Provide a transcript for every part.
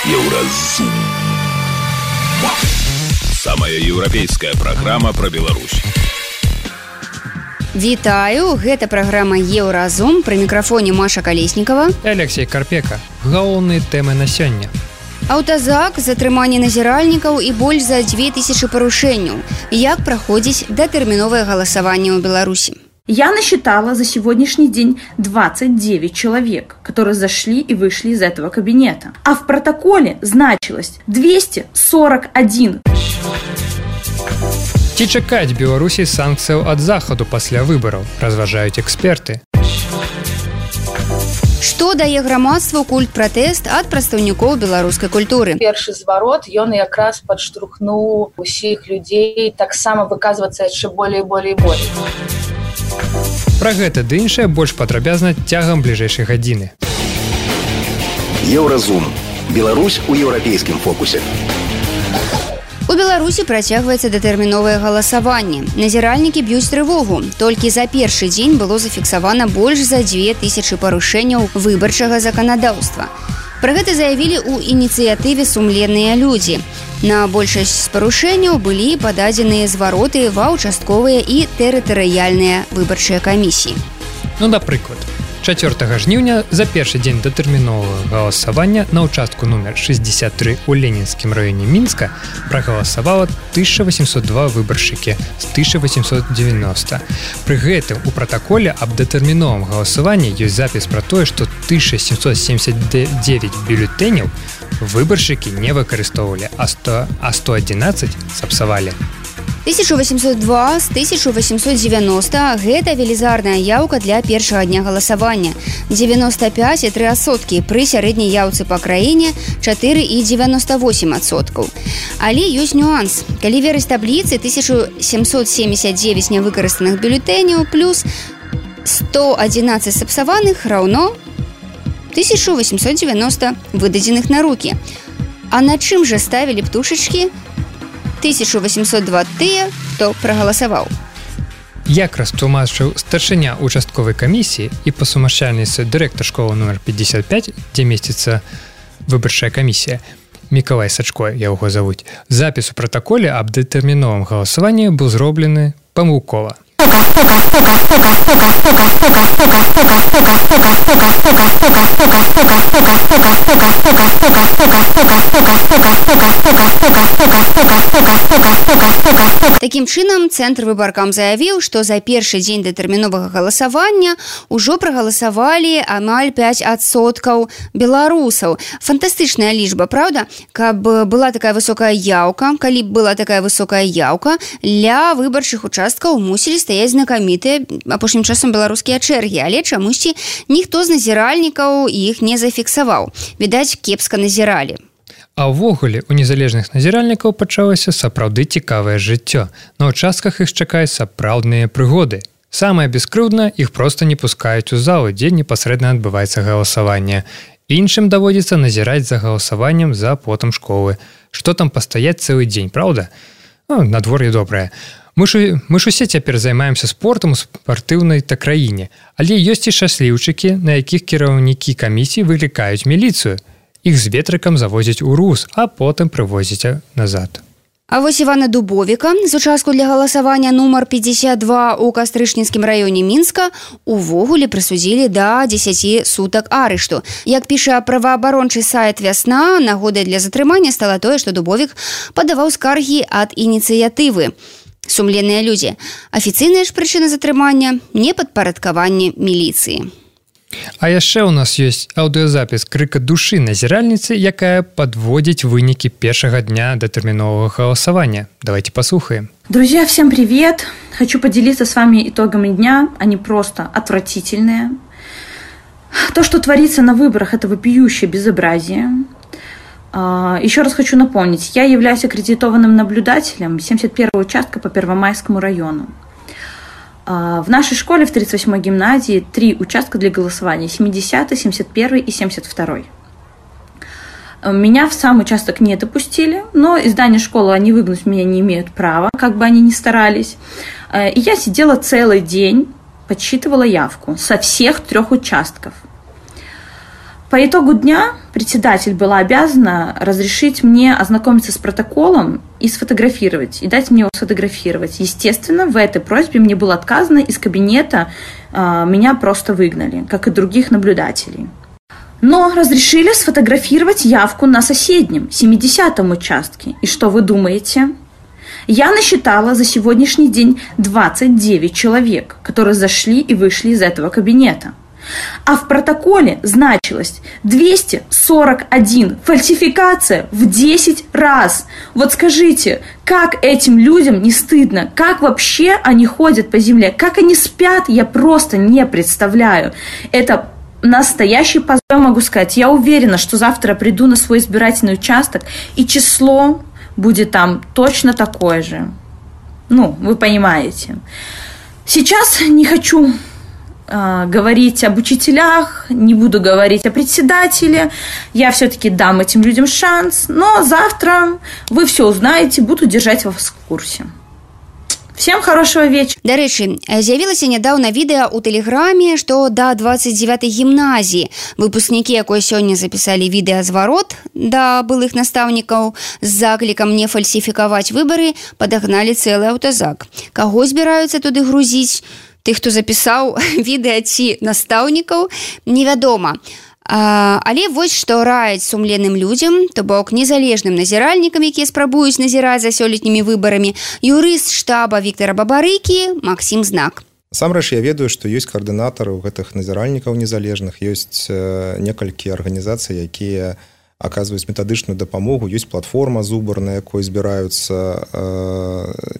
Еўразум. Самая еўрапейская праграма пра Беларусь. Вітаю, гэта праграма Еўразум, пры мікрафоне Маша Калеснікава і Алексей Карпека. Галоўныя тэмы на сёння. Аўтазак, затрыманне назіральнікаў і больш за 2000 парушэнняў. Як праходзіць датэрміновае галасаванне ў Беларусі? Я насчитала за сегодняшний день 29 человек, которые зашли и вышли из этого кабинета. А в протоколе значилось 241. Ці чакаць Беларусі санкцыяў ад захаду пасля выбараў, разважаюць эксперты. Што дае грамадству культ-пратэст ад прадстаўнікоў беларускай культуры? Першы зварот, ён якраз падштурхнуў усіх людзей таксама выказвацца яшчэ болей. Пра гэта ды іншае больш падрабязна цягам бліжэйшай гадзіны. Еўразум. Беларусь у еўрапейскім фокусе. У Беларусі працягваецца датэрміновае галасаванне. Назіральнікі б'юць трывогу. Толькі за першы дзень было зафіксавана больш за 2000 парушэнняў выбарчага заканадаўства. Пра гэта заявілі ў ініцыятыве «Сумленныя людзі». На большасць з парушэнняў былі пададзеныя звароты ва ўчастковыя і тэрытарыяльныя выбарчыя камісіі. Напрыклад, 4 жніўня за першы дзень датэрміновага галасавання на ўчастку нумер 63 у Ленінскім раёне Мінска прагаласавала 1802 выбаршчыкі з 1890. Пры гэтым у пратаколе аб датэрміновым галасаванні ёсць запіс пра тое, што 1779 бюлетэняў выбаршчыкі не выкарыстоўвалі, а 111 сапсавалі. 1802 з 1890 – гэта велізарная яўка для першага дня галасавання. 95,3% пры сярэдняй яўцы па краіне 4,98%. Але ёсць нюанс. Калі верыць табліцы, 1779 нявыкарыстаных бюлетэняў плюс 111 сапсаваных раўно 1890 выдадзеных на рукі. А на чым жа ставілі птушачкі 1802 тыя, хто прагаласаваў? Як растлумачыў старшыня участковай камісіі і па сумяшчальніцтве дырэктар школы нумер 55, дзе месціцца выбарчая камісія, Мікалай Сачко, яго завуць, запіс у пратаколе аб датэрміновым галасаванні быў зроблены памылкова. Такім чынам, цэнтр выбаркам заявіў, што за першы дзень датэрміновага галасавання ўжо прагаласавалі амаль 5% беларусаў. Фантастычная лічба, правда? Каб была такая высокая яўка, калі б была такая высокая яўка, ля выбарчых участкаў мусілі стаяць знакамітыя апошнім часам беларускія чэргі, але чамусьці ніхто з назіральнікаў іх не зафіксаваў. Відаць, кепска назіралі. А ўвогуле, у незалежных назіральнікаў пачалося сапраўды цікавае жыццё. На ўчастках іх чакаюць сапраўдныя прыгоды. Самае бескрыўднае, іх проста не пускаюць у залу, дзе непасрэдна адбываецца галасаванне. Іншым даводзіцца назіраць за галасаваннем за плотам школы. Што там пастаяць цэлы дзень, праўда? Надвор'е добрае. Мы ж усе цяпер займаемся спортам у спартыўнай краіне, але ёсць і шчасліўчыкі, на якіх кіраўнікі камісій выклікаюць міліцыю. Іх з ветрыкам завозяць у РУС, а потым прывозяць назад. А вось Івана Дубовіка з участку для галасавання нумар 52 у Кастрычніцкім раёне Мінска увогуле прысудзілі да 10 сутак арышту. Як піша праваабарончы сайт «Вясна», нагодай для затрымання стала тое, што Дубовік падаваў скаргі ад ініцыятывы «Сумленныя людзі». Афіцыйная ж прычына затрымання – непадпарадкаванне міліцыі. А яшчэ ў нас ёсць аўдыёзапіс крыка душы назіральніцы, якая падводзіць вынікі першага дня датэрміновага галасавання. Давайте послухаем. Друзья, всем привет! Хочу поделиться с вами итогами дня. Они просто отвратительные. То, что творится на выборах, это вопиющее безобразие. Еще раз хочу напомнить, я являюсь аккредитованным наблюдателем 71-го участка по Первомайскому району. В нашей школе в 38-й гимназии 3 участка для голосования: 70-й, 71-й и 72-й. Меня в сам участок не допустили, но из здания школы они выгнать меня не имеют права, как бы они ни старались. И я сидела целый день, подсчитывала явку со всех 3 участков. По итогу дня председатель была обязана разрешить мне ознакомиться с протоколом и сфотографировать, и дать мне его сфотографировать. Естественно, в этой просьбе мне было отказано, из кабинета меня просто выгнали, как и других наблюдателей. Но разрешили сфотографировать явку на соседнем, 70-м участке. И что вы думаете? Я насчитала за сегодняшний день 29 человек, которые зашли и вышли из этого кабинета. А в протоколе значилось 241 фальсификация в 10 раз. Вот скажите, как этим людям не стыдно? Как вообще они ходят по земле? Как они спят? Я просто не представляю. Это настоящий позор, могу сказать. Я уверена, что завтра приду на свой избирательный участок, и число будет там точно такое же. Ну, вы понимаете. Сейчас не хочу говорить об учителях, не буду говорить о председателе. Я все-таки дам этим людям шанс. Но завтра вы все узнаете, буду держать вас в курсе. Всем хорошего вечера. Дарэчы, з'явілася нядаўна відэа ў тэлеграме, што да 29-й гімназіі выпускнікі, якой сёння запісалі відэазварот да былых настаўнікаў з заклікам не фальсіфікаваць выбары, падагналі цэлы аўтазак. Каго збіраюцца туды грузіць? Тых, хто запісаў відэа ці настаўнікаў, невядома. Але вось што раяць сумленным людзям, то бок незалежным назіральнікам, якія спрабуюць назіраць за сёлетнімі выбарамі, юрыст штаба Віктара Бабарыкі Максім Знак. Насамрэч, я ведаю, што ёсць каардынатары ў гэтых назіральнікаў незалежных, ёсць некалькі арганізацый, якія аказваюць метадычную дапамогу, ёсць платформа Зубар, на якой збіраюцца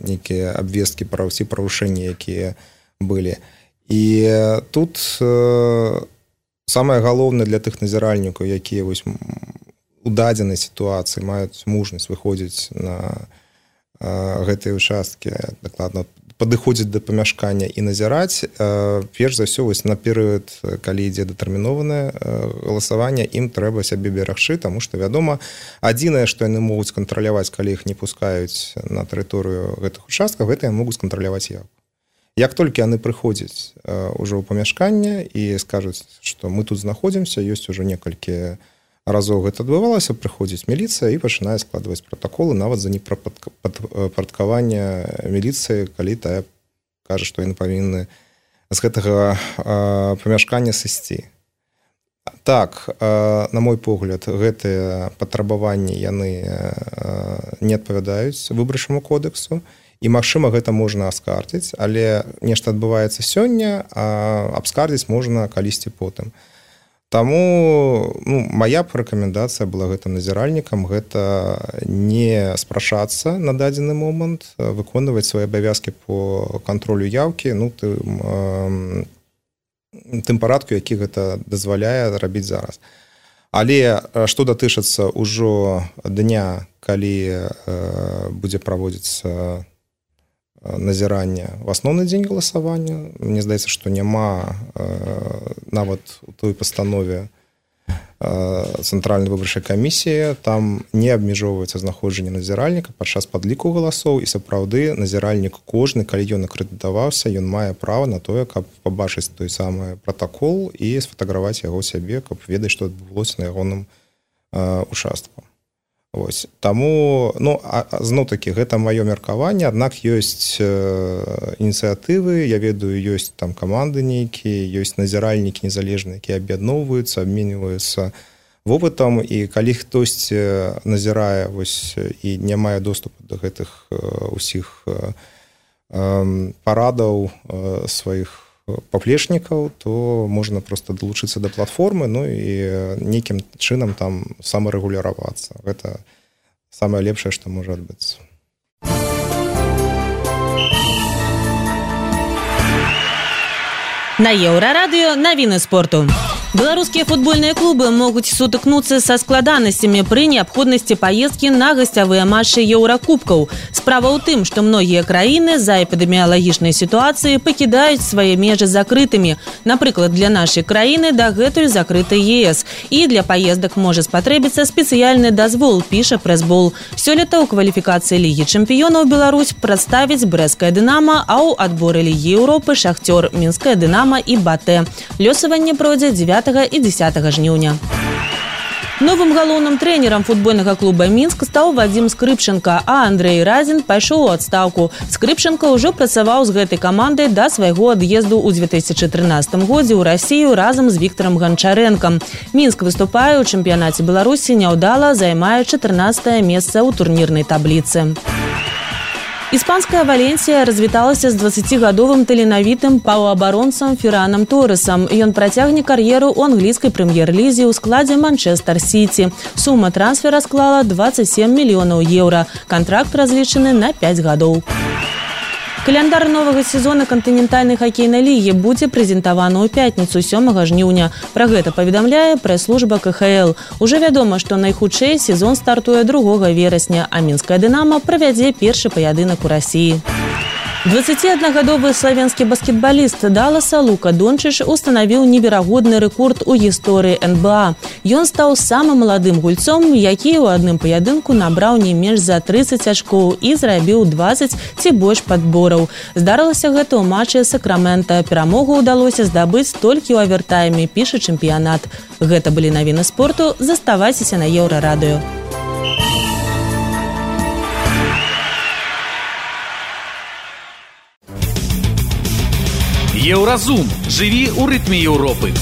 нейкія абвесткі пра ўсе парушэнні, якія былі. І тут самае галоўнае для тых назіральнікаў, якія вось у дадзенай сітуацыі маюць мужнасць выходзіць на гэтыя участкі, дакладна падыходзіць да памяшкання і назіраць, перш за ўсё вось на перыяд, калі ідзе датэрмінованае галасаванне, ім трэба сябе берагчы, таму што, вядома, адзінае, што яны могуць кантраляваць, калі іх не пускаюць на тэрыторыю гэтых участкаў, гэта яны могуць кантраляваць явку. Як толькі яны прыходзяць ўжо ў памяшканне і скажуць, што мы тут знаходзімся, ёсць ужо некалькі разоў гэта адбывалася, прыходзіць міліцыя і пачынае складваць пратаколы нават за непрадпарадкаванне міліцыі, калі тая кажа, што яны павінны з гэтага памяшкання сысці. Так, на мой погляд, гэтыя патрабаванні яны не адпавядаюць выбарчаму кодексу. І, магчыма, гэта можна аскардзіць, але нешта адбываецца сёння, а абскардзіць можна калісьці потым. Таму мая рэкамендацыя была гэтым назіральнікам, гэта не спрашацца на дадзены момант, выконваць свае абавязкі по кантролю яўкі, тым парадку, які гэта дазваляе рабіць зараз. Але што датычыцца ўжо дня, калі будзе праводзіцца назірання в асноўны дзень галасавання. Мне здаецца, што няма нават у той пастанове Цэнтральнай выбарчай камісіі, там не абмежоўваецца знаходжанне назіральніка падчас падліку галасоў, і сапраўды назіральнік кожны, калі ён акрэдытаваўся, ён мае права на тое, каб пабачыць той самы пратакол і сфатаграваць яго сябе, каб ведаць, што адбылося на ягоным участку. Вось. Таму, зноў-такі, гэта маё меркаванне, аднак ёсць ініцыятывы, я ведаю, ёсць там каманды нейкія, ёсць назіральнікі незалежныя, якія аб'ядноўваюцца, абменьваюцца вопытам, і калі хтосьці назірае вось, і не мае доступу да гэтых усіх парадаў сваіх паплечнікаў, то можна проста далучыцца да платформы, і нейкім чынам там самарэгуляравацца. Гэта самае лепшае, што можа адбыцца. На Еўрарадыё навіны спорту. Беларускія футбольныя клубы могуць сутыкнуцца са складанасцямі пры неабходнасці паездкі на гасцявыя матчы еўракубкаў. Справа ў тым, што многія краіны з-за эпідэміялагічнай сітуацыі пакідаюць свае межы закрытымі. Напрыклад, для нашай краіны дагэтуль закрыты ЕС. І для паездак можа спатрэбіцца спецыяльны дазвол, піша прэсбол. Сёлета ў кваліфікацыі Лігі чэмпіёнаў Беларусь прадставіць брэсцкае «Дынама», а ў адборы Лігі Еўропы «Шахцёр», мінскае «Дынама» і «Батэ». Лёсаванне пройдзе 9 і 10 жніўня. Новым галоўным трэнерам футбольнага клуба «Мінск» стаў Вадзім Скрыпченко, а Андрэй Разін пайшоў у адстаўку. Скрыпченко ўжо працаваў з гэтай камандай да свайго ад'езду ў 2013 годзе ў Расію разам з Віктарам Ганчарэнкам. Мінск выступае ў чэмпіянаце Беларусі няўдала, займае 14е месца ў турнірнай табліцы. Іспанская Валенсія развіталася з 20гадовым таленавітым паўабаронцам Феранам Торесам. Ён працягне кар'еру ў англійскай прэм'ер-лізе ў складзе Манчестер Сіці. Сума трансфера склала 27 мільёнаў еўра. Кантракт разлічаны на 5 гадоў. Каляндар новага сезона кантынентальнай хакейнай лігі будзе прэзентаваны ў пятніцу 7 жніўня. Пра гэта паведамляе прэс-служба КХЛ. Ужо вядома, што найхутчэй сезон стартуе 2 верасня, а мінская «Дынамо» правядзе першы паядынак у Расіі. 21гадовы славенскі баскетбаліст Далласа Лука Дончыч устанавіў неверагодны рэкорд у гісторыі НБА. Ён стаў самым маладым гульцом, які ў адным паядынку набраў не менш за 30 ачкоў і зрабіў 20 ці больш падбораў. Здарылася гэта ў матчы Сакрамента. Перамогу ўдалося здабыць толькі ў авертайме, піша чэмпіянат. Гэта былі навіны спорту. Заставайцеся на Еўрарадыё. Еўразум. Жыві ў рытме Еўропы.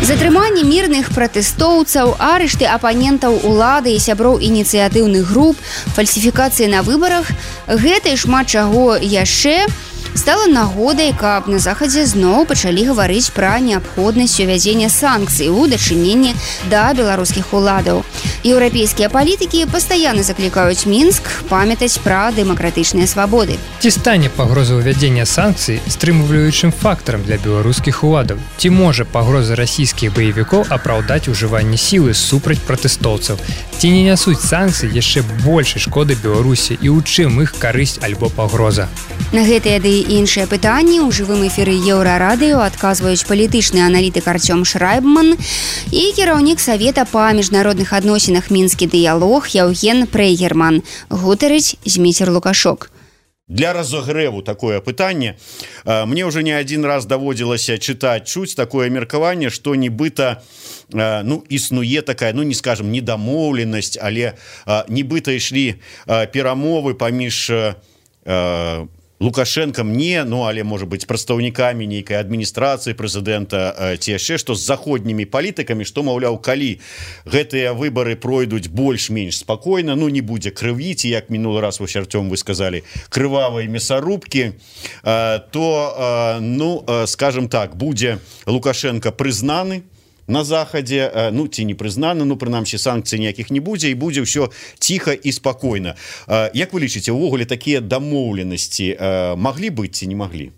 Затрыманне мірных пратэстоўцаў, арышты апанентаў улады і сяброў ініцыятыўных груп, фальсіфікацыі на выбарах – гэта і шмат чаго яшчэ стала нагодай, каб на Захадзе зноў пачалі гаварыць пра неабходнасць увядзення санкцый у дачыненні да беларускіх уладаў. Еўрапейскія палітыкі пастаянна заклікаюць Мінск памятаць пра дэмакратычныя свабоды. Ці стане пагроза ўвядзення санкцый стрымліваючым фактарам для беларускіх уладаў? Ці можа пагроза расійскіх баевікоў апраўдаць ужыванне сілы супраць пратэстоўцаў? Ці не нясуць санкцыі яшчэ большай шкоды Беларусі і ў чым іх карысць альбо пагроза? На гэтыя ды іншыя пытанні ў жывым эфіры Еўрарадыё адказваюць палітычны аналітык Артём Шрайбман і кіраўнік Савета па міжнародных адносінах «Мінскі дыялог» Яўген Прейгерман. Гутарыць Зміцер Лукашок. Для разогрэву такое пытанне мне уже не один раз даводзілася чуць такое меркаванне, што нібыта існуе такая, не скажем, недамоўленасць, але нібыта ішлі перамовы паміж Лукашенкам але, можа быць, прадстаўнікамі нейкай адміністрацыі прэзідэнта ці яшчэ што з заходнімі палітыкамі, што, маўляў, калі гэтыя выбары пройдуць больш-менш спакойна, не будзе крыві, ці як мінулы раз вось, Артём, вы сказалі, крывавай мясарубкі, то, скажем так, будзе Лукашенко прызнаны на Захадзе, ці не прызнаны, прынамсі санкцый ніякіх не будзе, і будзе ўсё ціха і спакойна. Як вы лічыце, увогуле такія дамоўленасці маглі быць ці не маглі?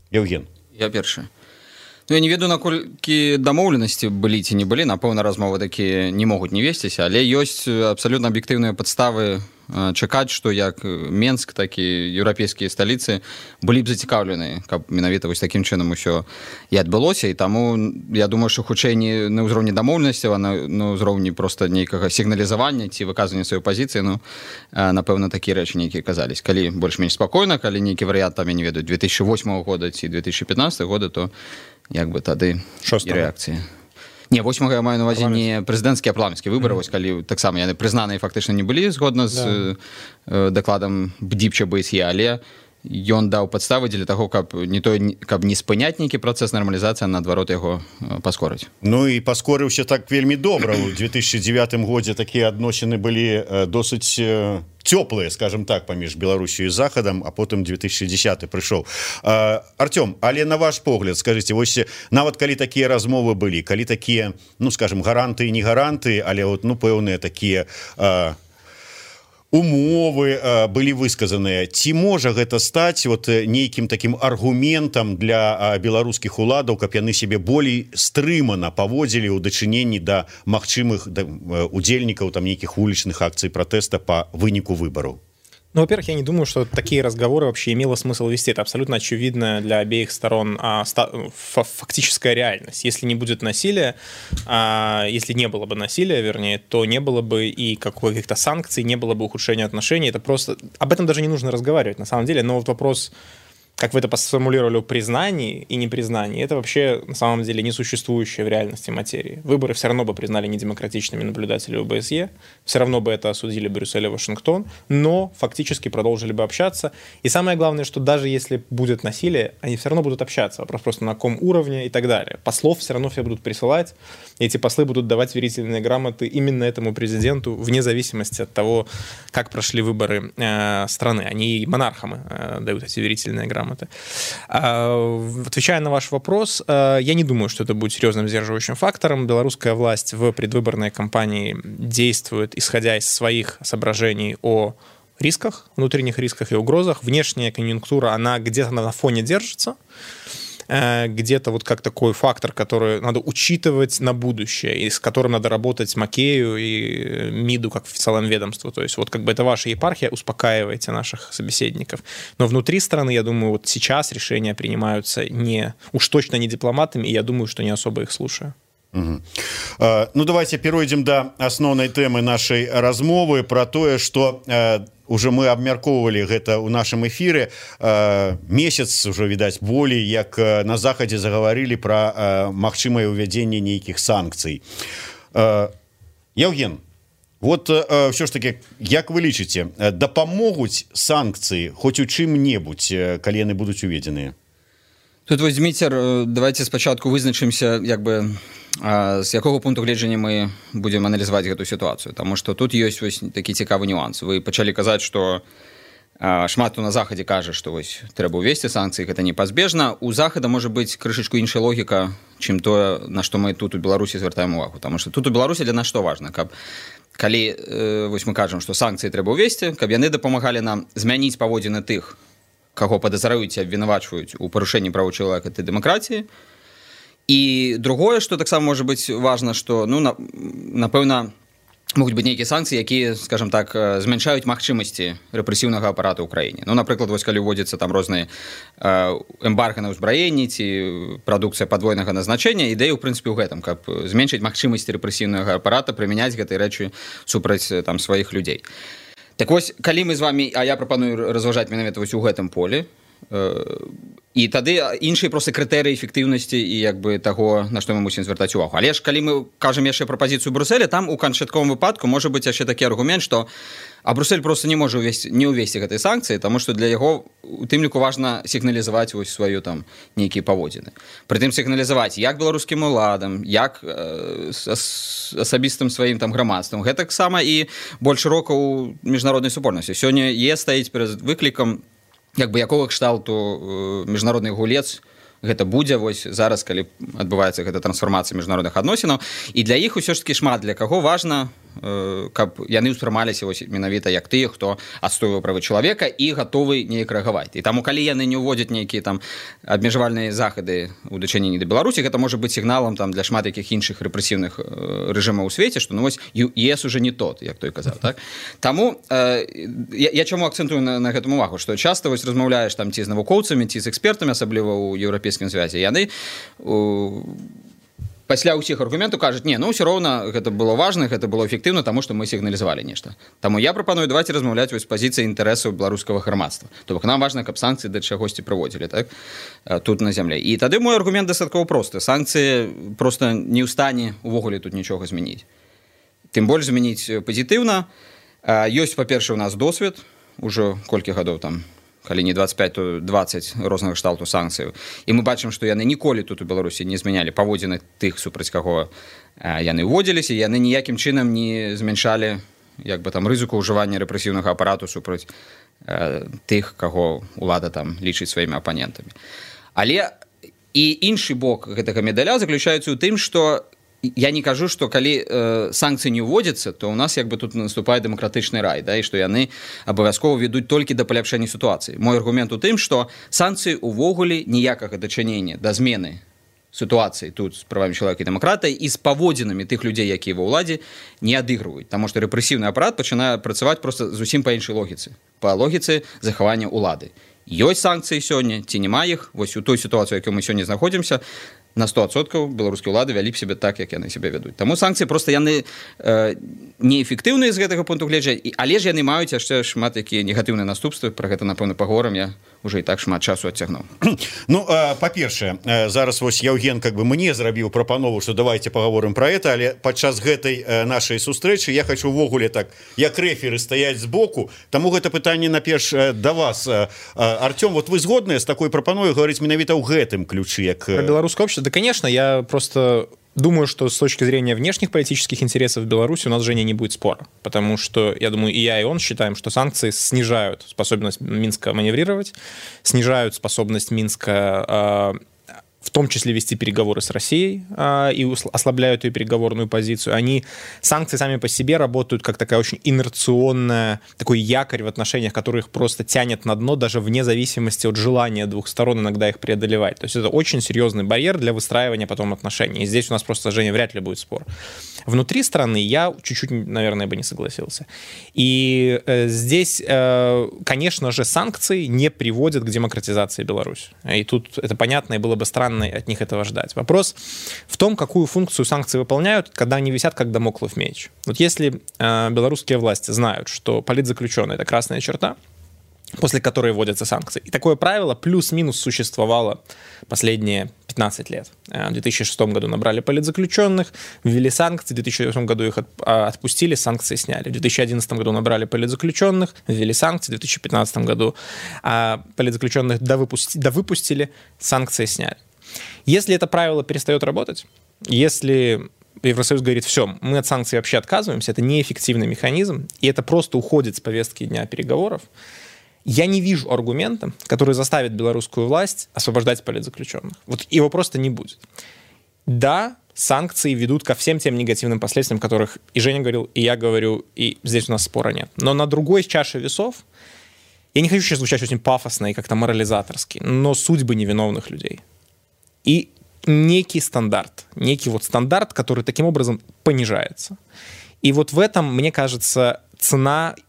Яўген. Я першы. Я не ведаю, наколькі дамоўленасці былі ці не былі, напэўна, размовы такія не могуць не весціся, але ёсць абсалютна аб'ектыўныя падставы чакаць, што як Менск, так і еўрапейскія сталіцы былі б зацікаўлены, каб менавіта вось такім чынам усё і адбылося, і таму я думаю, што хутчэй не на ўзроўні дамоўленасцяў, а на ўзроўні проста нейкага сігналізавання ці выказвання сваёй пазіцыі, напэўна, такія рэчы нейкія казались. Калі больш-менш спакойна, калі нейкі варыянт, там, я не ведаю, 2008 года ці 2015 года, то як бы тады і рэакцыя. Не, 8 я маю на увазе не прэзідэнцкія, а парламенцкія выбары, вось калі таксама яны прызнаныя фактычна не былі згодна з дакладам Бдипча БСЕ, але ён даў падставы дзеля таго, каб не спыняць нейкі працэс нармалізацыі, а наадварот яго паскорыць. І паскорыўся так вельмі добра. У 2009 годзе такія адносіны былі досыць цёплыя, скажем так, паміж Беларусью і Захадам, а потым 2010 прыйшоў. Артём, але на ваш погляд, скажыце, вось нават калі такія размовы былі, калі такія, скажем, гаранты і не гаранты, але пэўныя такія умовы былі высказаныя, ці можа гэта стаць нейкім такім аргументам для беларускіх уладаў, каб яны сябе болей стрымана паводзілі ў дачыненні да магчымых удзельнікаў нейкіх вулічных акцый пратэста па выніку выбараў? Во-первых, я не думаю, что такие разговоры вообще имело смысл вести. Это абсолютно очевидная для обеих сторон фактическая реальность. Если не будет насилия, если не было бы насилия, вернее, то не было бы и каких-то санкций, не было бы ухудшения отношений. Это просто... Об этом даже не нужно разговаривать, на самом деле. Но вопрос как вы это сформулировали, признании и непризнании, это вообще на самом деле несуществующая в реальности материи. Выборы все равно бы признали недемократичными наблюдатели ОБСЕ, все равно бы это осудили Брюссель и Вашингтон, но фактически продолжили бы общаться. И самое главное, что даже если будет насилие, они все равно будут общаться. Вопрос просто на каком уровне и так далее. Послов все равно все будут присылать, и эти послы будут давать верительные грамоты именно этому президенту, вне зависимости от того, как прошли выборы страны. Они и монархам дают эти верительные грамоты. Отвечая на ваш вопрос, я не думаю, что это будет серьезным сдерживающим фактором. Белорусская власть в предвыборной кампании действует, исходя из своих соображений о рисках, внутренних рисках и угрозах. Внешняя конъюнктура, она где-то на фоне держится, где-то вот как такой фактор, который надо учитывать на будущее, и с которым надо работать Макею и МИДу как официальному ведомству. То есть вот как бы это ваша епархия, успокаивайте наших собеседников. Но внутри страны, я думаю, вот сейчас решения принимаются уж точно не дипломатами, и я думаю, что не особо их слушаю. Угу. Ну давайте перейдем до основной темы нашей размовы про тое, что уже мы абмяркоўвалі гэта ў нашым эфіры. Месяц уже, відаць, болей, як на захадзе загаварылі пра магчымае ўвядзенне нейкіх санкцый. Евген, вот ўсё ж таки, як вы лічыце, дапамогуць санкцыі хоць у чым-небудзь, калі яны будуць уведзеныя? Тут вось, Дмітер, давайте спачатку вызначымся, як бы з якога пункту гледжання мы будзем аналізаваць гэту сітуацыю, таму што тут ёсць вось такі цікавы нюанс. Вы пачалі казаць, што шмат хто на захадзе кажа, што вось трэба ўвесці санкцыі, гэта непазбежна. У захада можа быць крышачку іншая логіка, чым тое, на што мы тут у Беларусі звяртаем увагу. Таму што тут у Беларусі для нас што важна, каб калі вось мы кажам, што санкцыі трэба ўвесці, каб яны дапамагалі нам змяніць паводзіны тых, каго падазраюць і абвінавачваюць у парушэнні правоў чалавека і дэмакратыі. І другое, што таксама можа быць важна, што, напэўна, могуць быць нейкія санкцыі, якія, скажем так, змяншаюць магчымасці рэпрэсіўнага апарата ў краіне. Напрыклад, вось калі ўводзяцца там розныя эмбарга на ўзбраенні ці прадукцыя падвойнага назначэння, ідэя, ў прынцыпе, ў гэтым, каб зменшыць магчымасці рэпрэсіўнага апарата прымяняць гэтыя рэчы супраць там сваіх людзей. Так вось, калі мы з вамі, а я прапаную разважаць менавіта вось у гэтым полі, і тады іншыя проста крытэрыі эфектыўнасці і як бы таго, на што мы мусім звяртаць увагу. Але ж калі мы кажам яшчэ пра пазіцыю Брюсселя, там у канчатковым выпадку можа быць яшчэ такі аргумент, што Брюссель проста не можа не ўвесці гэтай санкцыі, таму што для яго у тым ліку важна сігналізаваць вось сваю там нейкія паводзіны. Прытым сігналізаваць як беларускім уладам, як асабістым сваім там грамадствам. Гэтаксама і больш шырока ў міжнароднай супольнасці. Сёння стаіць перад выклікам як бы якога кшталту міжнародны гулец гэта будзе вось зараз, калі адбываецца гэта трансфармацыя міжнародных адносінаў. І для іх усё ж такі шмат для каго важна, каб яны ўспрымаліся вось менавіта як тыя, хто адстойвае правы чалавека і гатовы неяк рэагаваць. І таму калі яны не ўводзяць нейкія там абмежавальныя захады ў дачыненні да Беларусі, гэта можа быць сігналам там для шмат якіх іншых рэпрэсіўных рэжымаў у свеце, што вось ЕС уже не тот, як той казаў, так? Таму я чаму акцэнтую на гэтым увагу, што часта вось размаўляеш там ці з навукоўцамі, ці з экспертамі, асабліва ў еўрапейскім звязе, яны пасля ўсіх аргументаў кажуць, ўсё роўна гэта было важна, гэта было эфектыўна, таму што мы сігналізавалі нешта. Таму я прапаную давайте размаўляць вось з пазіцыі інтарэсаў беларускага грамадства. То бок нам важна, каб санкцыі да чагосьці прыводзілі, так? Тут на зямлі. І тады мой аргумент дастаткова просты. Санкцыі проста не ў стане увогуле тут нічога змяніць. Тым больш змяніць пазітыўна. Ёсць, па-першае, у нас досвед, ужо колькі гадоў там, калі не 25, то 20 рознага кшталту санкцыяў. І мы бачым, што яны ніколі тут у Беларусі не змянялі паводзіны тых, супраць каго яны ўводзіліся, яны ніякім чынам не змяншалі як бы там рызыку ўжывання рэпрэсіўнага апарату супраць тых, каго ўлада там лічыць сваімі апанентамі. Але і іншы бок гэтага медаля заключаецца ў тым, што я не кажу, што калі санкцыі не ўводзяцца, то ў нас як бы тут наступае дэмакратычны рай, да, і што яны абавязкова ведуць толькі да паляпшэння сітуацыі. Мой аргумент у тым, што санкцыі ўвогуле ніякага дачынення да змены сітуацыі тут з правамі чалавека і дэмакратыі і з паводзінамі тых людзей, якія ва ўладзе, не адыгрываюць, таму што рэпрэсіўны апарат пачынае працаваць проста зусім па іншай логіцы, па логіцы захавання ўлады. Ёсць санкцыі сёння, ці няма іх, вось у той сітуацыі, якой мы сёння знаходзімся, на 100% беларускія ўлады вялі б сябе так, як яны сябе вядуць. Таму санкцыі проста яны неэфектыўныя з гэтага пункту гледжання, але ж яны маюць яшчэ шмат якія негатыўныя наступствы, пра гэта напэўна паговорам, я уже і так шмат часу адцягнуў. Ну, па-першае, зараз вось Яўген как бы мне зрабіў прапанову, што давайте паговорым пра гэта, але падчас гэтай нашай сустрэчы я хочу ўвогуле так, як рэферы стаяць збоку, таму гэта пытанне наперш да вас. Артём, вот вы згодныя з такой прапановай гаварыць менавіта ў гэтым ключы, як... Про белорусское общество? Да, конечно, я просто... Думаю, что с точки зрения внешних политических интересов Беларуси у нас, Женя, не будет спора. Потому что, я думаю, и я, и он считаем, что санкции снижают способность Минска маневрировать, снижают способность Минска в том числе вести переговоры с Россией и ослабляют ее переговорную позицию. Санкции сами по себе работают как такая очень инерционная, такой якорь в отношениях, который их просто тянет на дно, даже вне зависимости от желания двух сторон иногда их преодолевать. То есть это очень серьезный барьер для выстраивания потом отношений. И здесь у нас просто, Женя, вряд ли будет спор. Внутри страны я чуть-чуть, наверное, бы не согласился. И здесь, конечно же, санкции не приводят к демократизации Беларуси. И тут это понятно, и было бы странно от них этого ждать. Вопрос в том, какую функцию санкции выполняют, когда они висят как дамоклов меч. Вот если белорусские власти знают, что политзаключенный — это красная черта, после которой вводятся санкции, и такое правило плюс-минус существовало последние 15 лет. В 2006 году набрали политзаключенных, ввели санкции, в 2008 году их отпустили, санкции сняли. В 2011 году набрали политзаключенных, ввели санкции, в 2015 году политзаключенных довыпустили, санкции сняли. Если это правило перестает работать, если Евросоюз говорит, все, мы от санкций вообще отказываемся, это неэффективный механизм, и это просто уходит с повестки дня переговоров, я не вижу аргумента, который заставит белорусскую власть освобождать политзаключенных. Вот его просто не будет. Да, санкции ведут ко всем тем негативным последствиям, которых и Женя говорил, и я говорю, и здесь у нас спора нет. Но на другой чаше весов, я не хочу сейчас звучать очень пафосно и как-то морализаторски, но судьбы невиновных людей. И некий стандарт, который таким образом понижается. И вот в этом, мне кажется,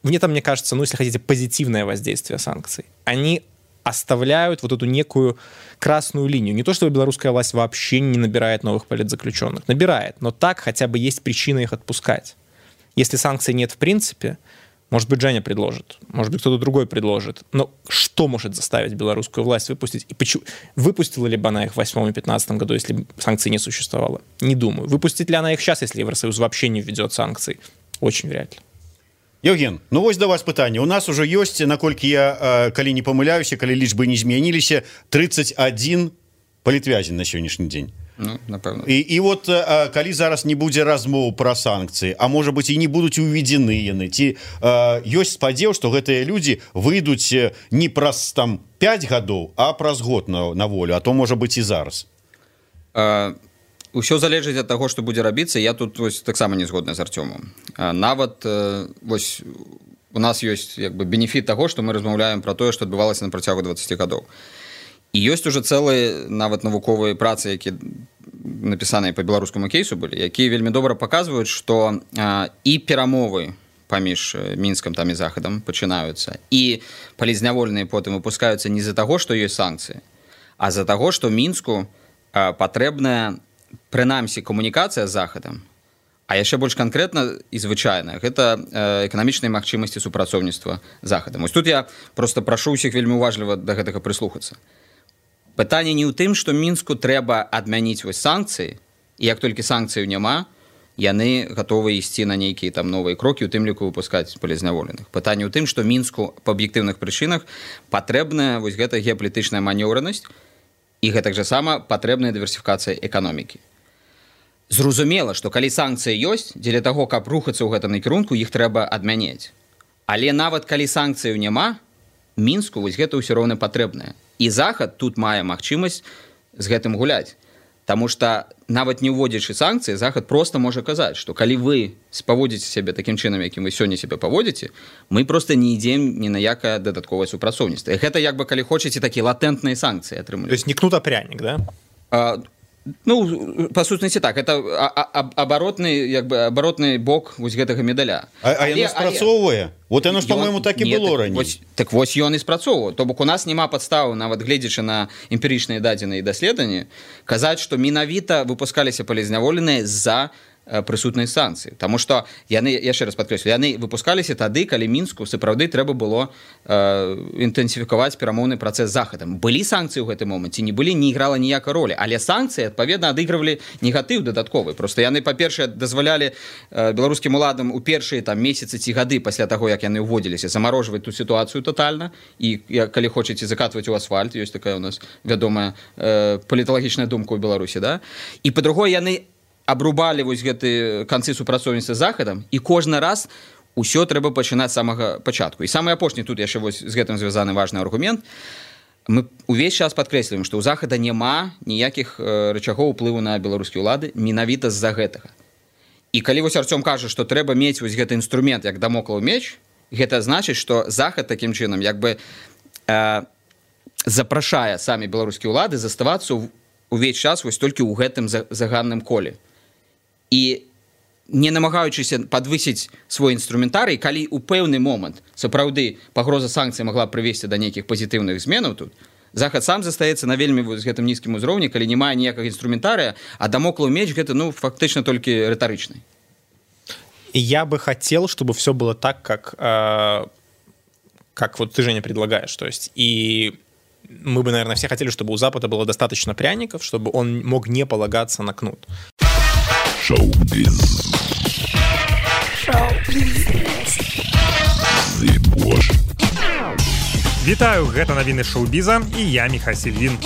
мне кажется, если хотите, позитивное воздействие санкций. Они оставляют вот эту некую красную линию. Не то, что белорусская власть вообще не набирает новых политзаключенных. Набирает, но так хотя бы есть причина их отпускать. Если санкций нет в принципе, может быть, Женя предложит, может быть, кто-то другой предложит. Но что может заставить белорусскую власть выпустить? И почему? Выпустила ли бы она их в 2008 и 2015 году, если санкций не существовало? Не думаю. Выпустит ли она их сейчас, если Евросоюз вообще не введет санкций? Очень вряд ли. Евген, ну вось да вас пытанне. У нас уже ёсць, наколькі я, калі не памыляюся, калі лічбы не змяніліся, 31 палітвязень на сённяшні дзень. Ну, напэўна. І вот калі зараз не будзе размоў пра санкцыі, а можа быць і не будуць уведзены яны, ці ёсць спадзеў, што гэтыя людзі выйдуць не праз там 5 гадоў, а праз год на волю, а то можа быць і зараз. Усё залежыць ад таго, што будзе рабіцца. Я тут таксама не згодна з Артёмом. Нават вось у нас ёсць як бы бенефіт таго, што мы размаўляем пра тое, што адбывалася на працягу 20 гадоў. І ёсць уже цэлыя нават навуковыя працы, якія напісаныя па беларускаму кейсу былі, якія вельмі добра паказваюць, што і перамовы паміж Мінскам там і Захадам пачынаюцца, і палізняволеныя потым выпускаюцца не з-за таго, што ёсць санкцыі, а з-за таго, што Мінску патрэбная прынамсі камунікацыя з Захадам, а яшчэ больш канкрэтна і звычайна гэта эканамічныя магчымасці супрацоўніцтва з Захадам. Вось тут я просто прашу ўсіх вельмі уважліва да гэтага прыслухацца. Пытанне не ў тым, што Мінску трэба адмяніць вось санкцыі, і як толькі санкцыяў няма, яны гатовы ісці на нейкія там новыя крокі, у тым ліку выпускаць палізняволеных. Пытанне ў тым, што Мінску па аб'ектыўных прычынах патрэбная вось гэта геапалітычная манеўранасць, і гэтак жа сама патрэбная дыверсіфікацыя эканомікі. Зразумела, што калі санкцыі ёсць, дзеля таго, каб рухацца ў гэтым накірунку, іх трэба адмяняць. Але нават калі санкцыяў няма, Мінску вось гэта ўсё роўна патрэбнае. І Захад тут мае магчымасць з гэтым гуляць. Таму што нават не ўводзячы санкцыі, Захад проста можа казаць, што калі вы спаводзіце сябе такім чынам, якім вы сёння сябе паводзіце, мы проста не ідзем ні на якае дадатковае супрацоўніцтва. Гэта як бы, калі хочаце, такія латэнтныя санкцыі атрымліваць. То есть не кнут, а пряник, да? Ну, па сутнасці так, это абаротны бок вось гэтага медаля. А яно спрацоўвае? Вот яно ж, по-моему, так і было раней. Так вось ён і спрацоўвае. То бок у нас няма падставы, нават гледзячы на эмпірычныя дадзеныя даследаванні, казаць, што менавіта выпускаліся палізняволеныя з-за прысутнай санкцыі. Таму што яны, яшчэ раз падкрэслю, яны выпускаліся тады, калі Мінску сапраўды трэба было інтэнсіфікаваць перамоўны працэс з Захадам. Былі санкцыі ў гэтым моманце, не былі, не іграла ніякай ролі, але санкцыі, адпаведна, адыгрывалі негатыў дадатковы. Просто яны, па-першае, дазвалялі беларускім уладам у першыя там месяцы ці гады пасля таго, як яны ўводзіліся, замарожваць ту сітуацыю тотальна, і калі хочаце закатваць у асфальт, ёсць такая у нас вядомая паліталагічная думка ў Беларусі, да? І па-другое, яны абрубалі вось гэты канцы супрацоўніцтва з Захадам, і кожны раз усё трэба пачынаць з самага пачатку. І самы апошні тут яшчэ вось з гэтым звязаны важны аргумент. Мы увесь час падкрэсліваем, што ў Захада няма ніякіх рычагоў уплыву на беларускія ўлады менавіта з-за гэтага. І калі вось Арцём кажа, што трэба мець вось гэты інструмент як дамоклаў меч, гэта значыць, што Захад такім чынам як бы запрашае самі беларускія ўлады заставацца увесь час вось толькі ў гэтым заганным коле. І не намагаючыся падвысіць свой інструментарый, калі ў пэўны момант сапраўды пагроза санкцый магла прывесці да нейкіх пазітыўных зменаў тут, Захад сам застаецца на вельмі з гэтым нізкім узроўні, калі не мае ніякага інструментарыя, а дамоклаў меч гэта, ну, фактычна толькі рытарычны. Я бы хотел, чтобы все было так, как вот ты, Женя, предлагаешь. То есть, и мы бы, наверное, все хотели, чтобы у Запада было достаточно пряников, чтобы он мог не полагаться на кнут. Шоу-биз. Вітаю, гэта навіны шоу-біза і я Міхась Сільвін.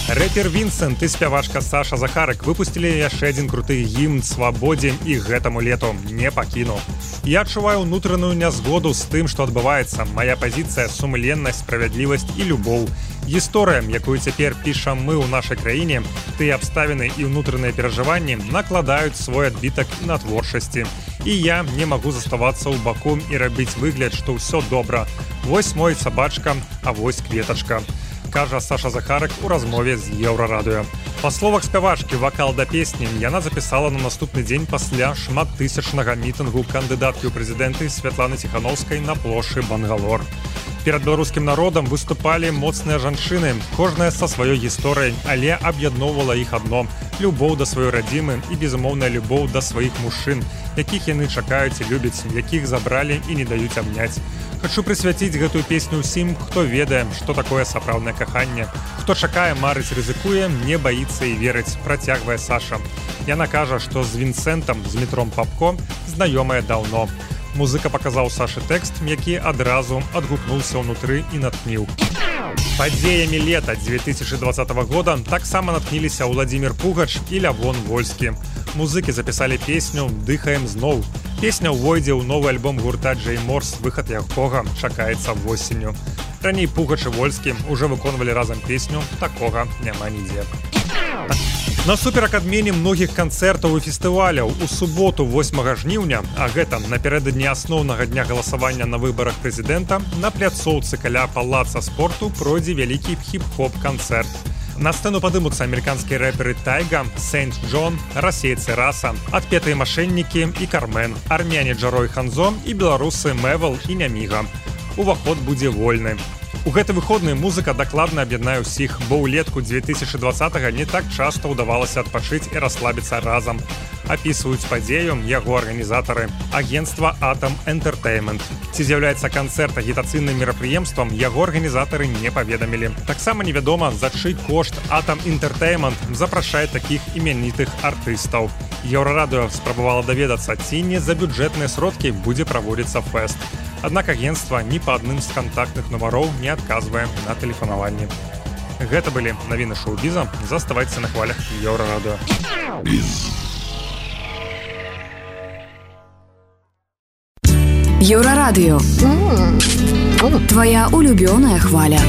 Рэпер Вінсент і спявачка Саша Захарык выпусцілі яшчэ адзін круты гімн свабодзе і гэтаму лету не пакіну. Я адчуваю ўнутраную нязгоду з тым, што адбываецца. Мая пазіцыя, сумленнасць, справядлівасць і любоў. Гісторыя, якую цяпер пішам мы ў нашай краіне, тыя абставіны і ўнутраныя перажыванні накладаюць свой адбітак на творчасці. І я не магу заставацца ў баку і рабіць выгляд, што ўсё добра. Вось мой сабачка, а вось кветачка. Кажа Саша Захарык у размове з Еўрарадыё. Па словах спявачкі, вакал да песні яна запісала на наступны дзень пасля шматтысячнага мітынгу кандыдаткі ў прэзідэнты Святланы Ціханаўскай на плошчы Бангалор. Перад беларускім народам выступалі моцныя жанчыны, кожная са сваёй гісторыяй, але аб'ядноўвала іх адно – любоў да сваёй радзімы і безумоўная любоў да сваіх мужчын, якіх яны чакаюць і любяць, якіх забралі і не даюць абняць. Хачу прысвяціць гэтую песню ўсім, хто ведае, што такое сапраўднае каханне. Хто чакае, марыць, рызыкуе, не баіцца і верыць, працягвае Саша. Яна кажа, што з Вінсентам, з Дмітром Папко знаёмая даўно. Музыка паказаў Сашы тэкст, які адразу адгукнуўся ўнутры і натхніў. Падзеямі лета 2020 года таксама натхніліся Владзімір Пугач і Лявон Вольскі. Музыкі запісалі песню «Дыхаем зноў». Песня ўвойдзе ў новы альбом гурта Джей Морс, выхад якога чакаецца восенню. Раней Пугач і Вольскі ўжо выконвалі разам песню «Такога няма нідзе». Насуперак адмене многіх канцэртаў і фестываляў у суботу 8 жніўня, а гэта напярэдадні асноўнага дня галасавання на выбарах прэзідэнта, на пляцоўцы каля палаца спорту пройдзе вялікі хіп-хоп-канцэрт. На сцэну падымуцца амерыканскія рэперы Тайга, Сэнт Джон, расейцы Раса, адпетыя машэннікі і Кармен, армяне Джарой Ханзо і беларусы Мэвел і Няміга. Уваход будзе вольны. У гэты выходны музыка дакладна аб'яднае ўсіх, бо ўлетку 2020-го не так часта ўдавалася адпачыць і расслабіцца разам. Апісваюць падзею яго арганізатары агенцтва Atom Entertainment. Ці з'яўляецца канцэрт агітацыйным мерапрыемствам, яго арганізатары не паведамілі. Таксама невядома, за чый кошт Atom Entertainment запрашае такіх імянітых артыстаў. Еўрарадыё спрабавала даведацца, ці не за бюджэтныя сродкі будзе праводзіцца фэст. Аднак агенцтва ні па адным з кантактных нумароў не адказвае на тэлефанаванне. Гэта былі навіны шоу-біза. Заставайцеся на хвалях Еўрарадыё. Еўрарадыё. Твоя улюбёная хваля.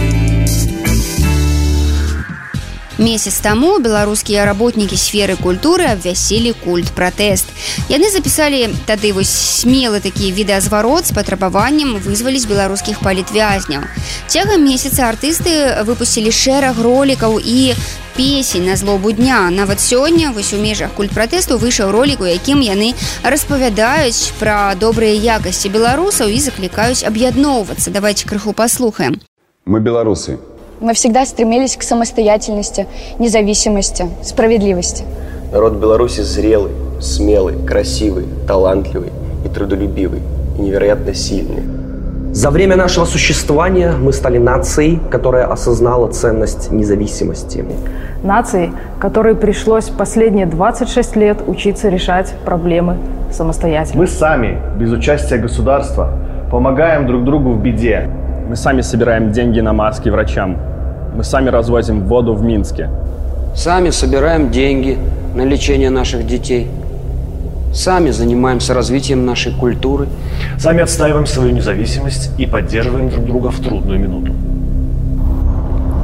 Месяц таму беларускія работнікі сферы культуры абвясілі культ-пратэст. Яны запісалі тады вось смелы такі відэазварот з патрабаваннем вызваліць беларускіх палітвязняў. Цягам месяца артысты выпусцілі шэраг ролікаў і песень на злобу дня. Нават сёння вось у межах культ-пратэсту выйшаў ролік, у якім яны распавядаюць пра добрыя якасці беларусаў і заклікаюць аб'ядноўвацца. Давайте крыху паслухаем. Мы белорусы. Мы всегда стремились к самостоятельности, независимости, справедливости. Народ Беларуси зрелый, смелый, красивый, талантливый и трудолюбивый, и невероятно сильный. За время нашего существования мы стали нацией, которая осознала ценность независимости. Нацией, которой пришлось последние 26 лет учиться решать проблемы самостоятельно. Мы сами, без участия государства, помогаем друг другу в беде. Мы сами собираем деньги на маски врачам. Мы сами развозим воду в Минске. Сами собираем деньги на лечение наших детей. Сами занимаемся развитием нашей культуры. Сами отстаиваем свою независимость и поддерживаем друг друга в трудную минуту.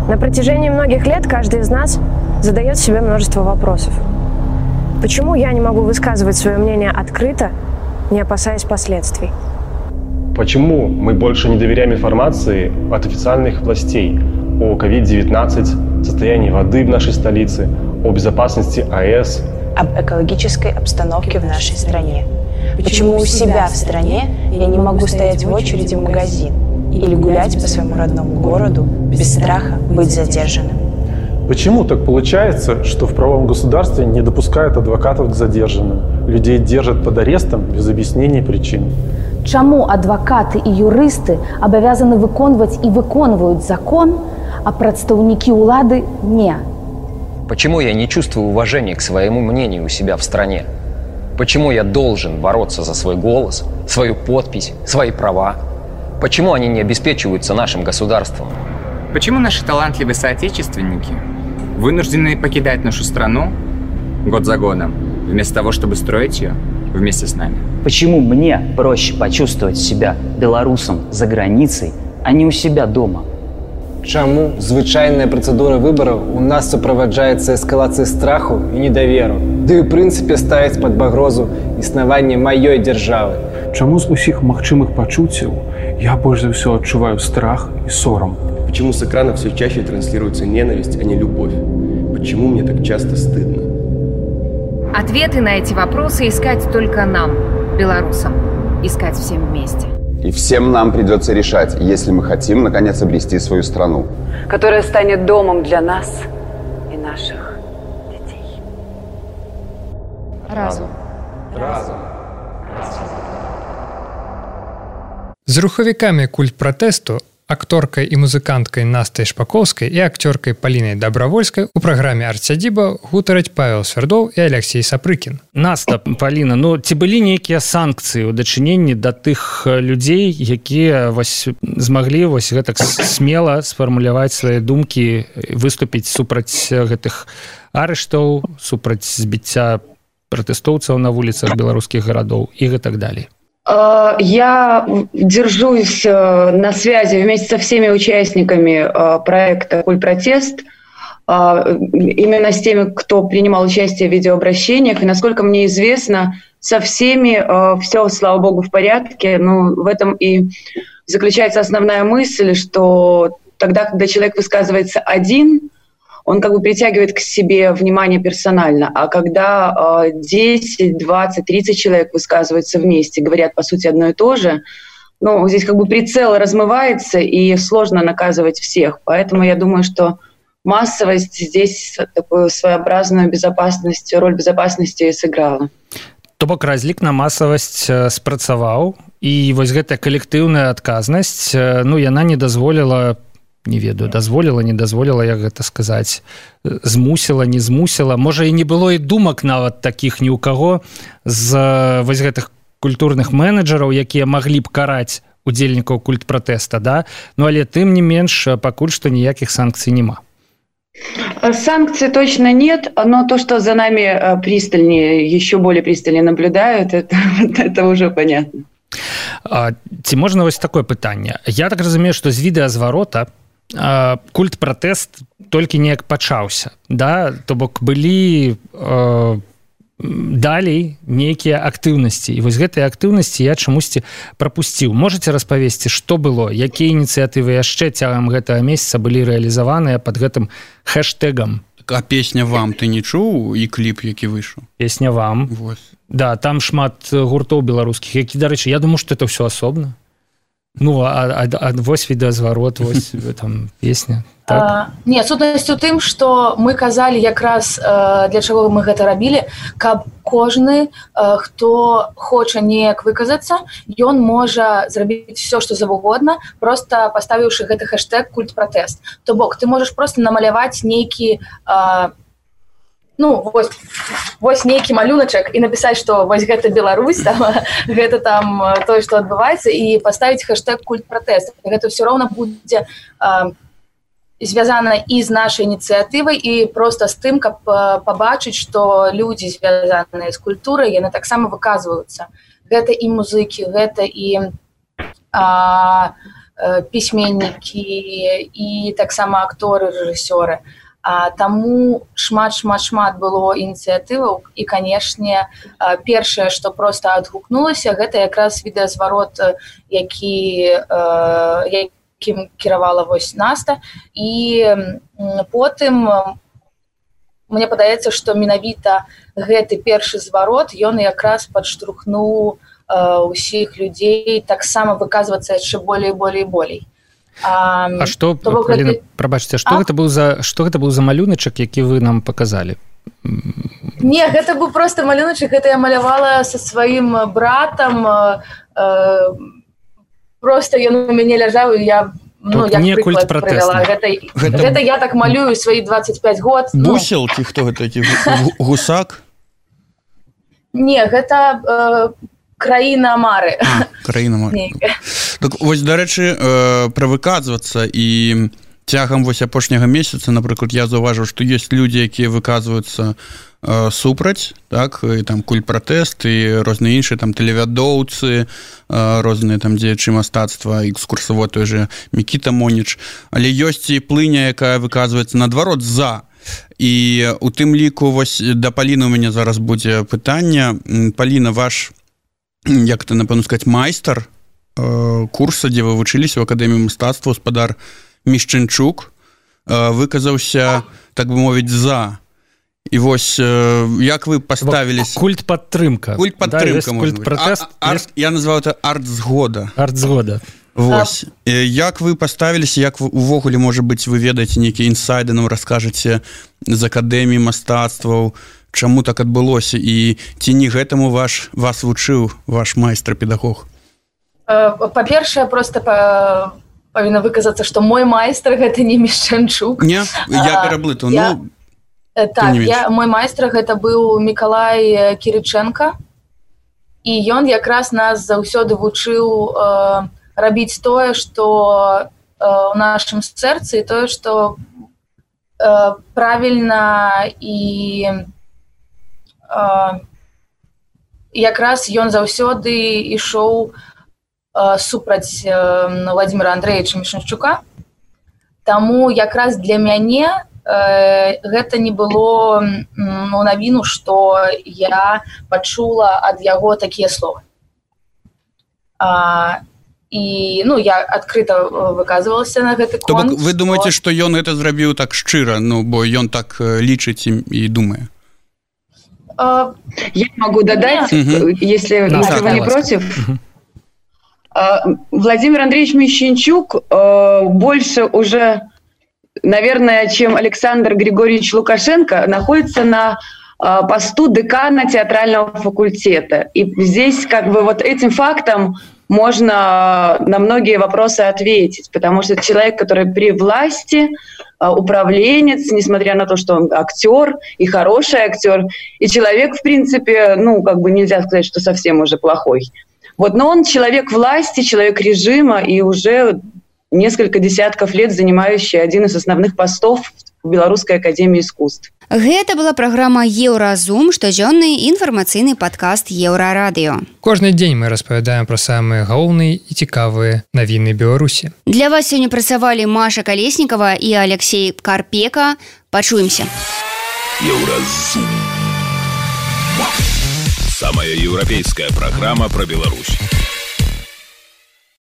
На протяжении многих лет каждый из нас задает себе множество вопросов. Почему я не могу высказывать свое мнение открыто, не опасаясь последствий? Почему мы больше не доверяем информации от официальных властей о COVID-19, состоянии воды в нашей столице, о безопасности АЭС, об экологической обстановке в нашей стране? Почему у себя в стране я не могу стоять в очереди в магазин или гулять по своему родному городу без страха быть задержанным? Почему так получается, что в правовом государстве не допускают адвокатов к задержанным? Людей держат под арестом без объяснений причин. Чаму адвокаты и юристы обязаны выконваць и выконваюць закон, а прадстаўнікі улады не? Почему я не чувствую уважения к своему мнению у себя в стране? Почему я должен бороться за свой голос, свою подпись, свои права? Почему они не обеспечиваются нашим государством? Почему наши талантливые соотечественники вынуждены покидать нашу страну год за годом, вместо того, чтобы строить ее вместе с нами? Почему мне проще почувствовать себя белорусом за границей, а не у себя дома? Чаму звычайная процедура выбораў у нас суправаджаецца эскалацыяй страху і недаверу, ды ў прынцыпе ставіць пад пагрозу існаванне маёй дзяржавы. Чаму з усіх магчымых пачуццяў я больш за ўсё адчуваю страх і сорам? Почему с экрана все чаще транслируется ненависть, а не любовь? Почему мне так часто стыдно? Ответы на эти вопросы искать только нам, белорусам. Искать всем вместе. И всем нам придется решать, если мы хотим, наконец, обрести свою страну. Которая станет домом для нас и наших детей. Разум. Разум. З рухавікамі культ пратэсту, акторкай і музыканткай Настай Шпаковскай і акцёркай Палінай Дабравольскай у праграме «Арт-сядзіба» гутараць Павел Свердоў і Алексей Сапрыкін. Наста, Паліна, ну ці былі нейкія санкцыі ў дачыненні да тых людзей, якія змаглі гэтак смела сфармуляваць свае думкі, выступіць супраць гэтых арыштаў, супраць збіцця пратэстоўцаў на вуліцах беларускіх гарадоў і гэтак далей? Я держусь на связи вместе со всеми участниками проекта «Культпротест», именно с теми, кто принимал участие в видеообращениях. И, насколько мне известно, со всеми все, слава богу, в порядке. Но в этом и заключается основная мысль, что тогда, когда человек высказывается один, он как бы притягивает к себе внимание персонально. А когда 10, 20, 30 человек высказываются вместе, говорят, по сути, одно и то же, ну, здесь как бы прицел размывается, и сложно наказывать всех. Поэтому я думаю, что массовость здесь такую своеобразную безопасность, роль безопасности сыграла. То бок разлік на масавасць спрацаваў, і вось гэтая калектыўная адказнасць, ну, яна не дазволіла, не ведаю, дазволіла, не дазволіла, як гэта сказаць, змусіла, не змусіла. Можа, і не было і думак нават такіх ні ў каго з вось гэтых культурных менеджераў, якія маглі б караць удзельнікаў культпратэста, да? Ну, але тым не менш, пакуль што ніякіх санкцый няма. Санкций точно нет, но то, что за нами пристальнее, еще более пристальнее наблюдают, это уже понятно. Ці можна вось такое пытанне? Я так разумею, што з відэазварота культпратэст толькі неяк пачаўся, да? То бок былі далей нейкія актыўнасці. І вось гэтыя актыўнасці я чамусьці прапусціў. Можаце распавесці, што было? Якія ініцыятывы яшчэ цягам гэтага месяца былі рэалізаваныя пад гэтым хэштэгам? А песня «Вам» ты не чуў і кліп, які выйшаў? Песня «Вам». Вот. Да, там шмат гуртоў беларускіх, які, дарэчы, я думаю, што это ўсё асобна. Ну, а вось відэазварот, вось там песня. Так? Не, сутнасць у тым, што мы казалі якраз для чаго мы гэта рабілі, каб кожны, хто хоча неяк выказацца, ён можа зрабіць все, што завугодна, проста паставіўшы гэты хэштэг культ-пратэст. То бок, ты можаш проста намаляваць нейкі вось нейкі малюначак і напісаць, што вось гэта Беларусь, там, гэта там тое, што адбываецца, і паставіць хэштэг культ-пратэст. Гэта ўсё роўна будзе звязана і з нашай ініцыятывай, і проста з тым, каб пабачыць, што людзі, звязаныя з культурай, яны таксама выказваюцца. Гэта і музыкі, гэта і пісьменнікі, і таксама акторы, рэжысёры. Таму шмат было ініцыятываў, і, канешне, першае, што проста адгукнулася, гэта якраз відэазварот, якім кіравала вось Наста, і потым мне падаецца, што менавіта гэты першы зварот, ён якраз падштурхнуў усіх людзей таксама выказвацца яшчэ болей. А што, Паліна, прабачце, што гэта быў за малюначак, які вы нам паказалі? Не, гэта быў проста малюначак, гэта я малявала са сваім братам, просто ён у мяне ляжаў, і я як прыклад прывяла. Гэта я так малюю сваі 25 год. Бусел, ці хто гэта, гусак? Не, гэта краіна Мары. Краіна Мары. Так, вось, дарэчы, пра выказвацца, і цягам вось апошняга месяца, напрыклад, я заўважыў, што ёсць людзі, якія выказваюцца супраць, так, і там культ-пратэст, і розныя іншыя, там, тэлевядоўцы, розныя там дзеячы мастацтва, экскурсавод той же Мікіта Моніч, але ёсць і плыня, якая выказваецца наадварот за. І у тым ліку, вось, да Паліны у мяне зараз будзе пытанне. Паліна, ваш, як это, напэўна сказаць, майстар курса, дзе вы вучыліся ў акадэміі мастацтва, гаспадар Мішчанчук, выказаўся, так бы мовіць, за. І вось, як вы паставіліся... Культ-падтрымка. Культ-падтрымка, можна быць. Я назваў это арт-згода. Арт-згода. Вось. Як вы паставіліся, як увогуле, можа быць, вы ведаеце нейкія інсайды, нам раскажаце з акадэміі мастацтваў, чаму так адбылося, і ці не гэтаму вас вучыў ваш майстар-педагог? Па-першае, проста павінна выказацца, што мой майстар гэта не Мішчанчук. Не, я пераблытаў. Так, мой майстар гэта быў Мікалай Кірычэнка, і ён якраз нас заўсёды вучыў рабіць тое, што ў нашым сэрцы, і тое, што правільна, і якраз ён заўсёды ішоў супраць Владзіміра Андрэевіча Мішчанчука. Таму якраз для мяне гэта не было навіну, што я пачула ад яго такія словы. І я адкрыта выказвалася на гэты конт. То бок вы думаеце, што ён гэта зрабіў так шчыра, бо ён так лічыць і думае? Я могу додать, если вы не против. Владимир Андреевич Мищенчук больше уже, наверное, чем Александр Григорьевич Лукашенко, находится на посту декана театрального факультета. И здесь как бы вот этим фактом можно на многие вопросы ответить, потому что это человек, который при власти, управленец, несмотря на то, что он актер и хороший актер, и человек, в принципе, как бы нельзя сказать, что совсем уже плохой. Вот, но он человек власти, человек режима и уже несколько десятков лет занимающий один из основных постов в Белорусской академии искусств. Гэта была праграма «Еўразум», штодзённы інфармацыйны падкаст «Еўрарадыё». Кожны дзень мы распавядаем пра самыя галоўныя і цікавыя навіны Беларусі. Для вас сёння працавалі Маша Калеснікова і Алексей Карпека. Пачуемся. «Еўразум». Самая еўрапейская программа про Беларусь.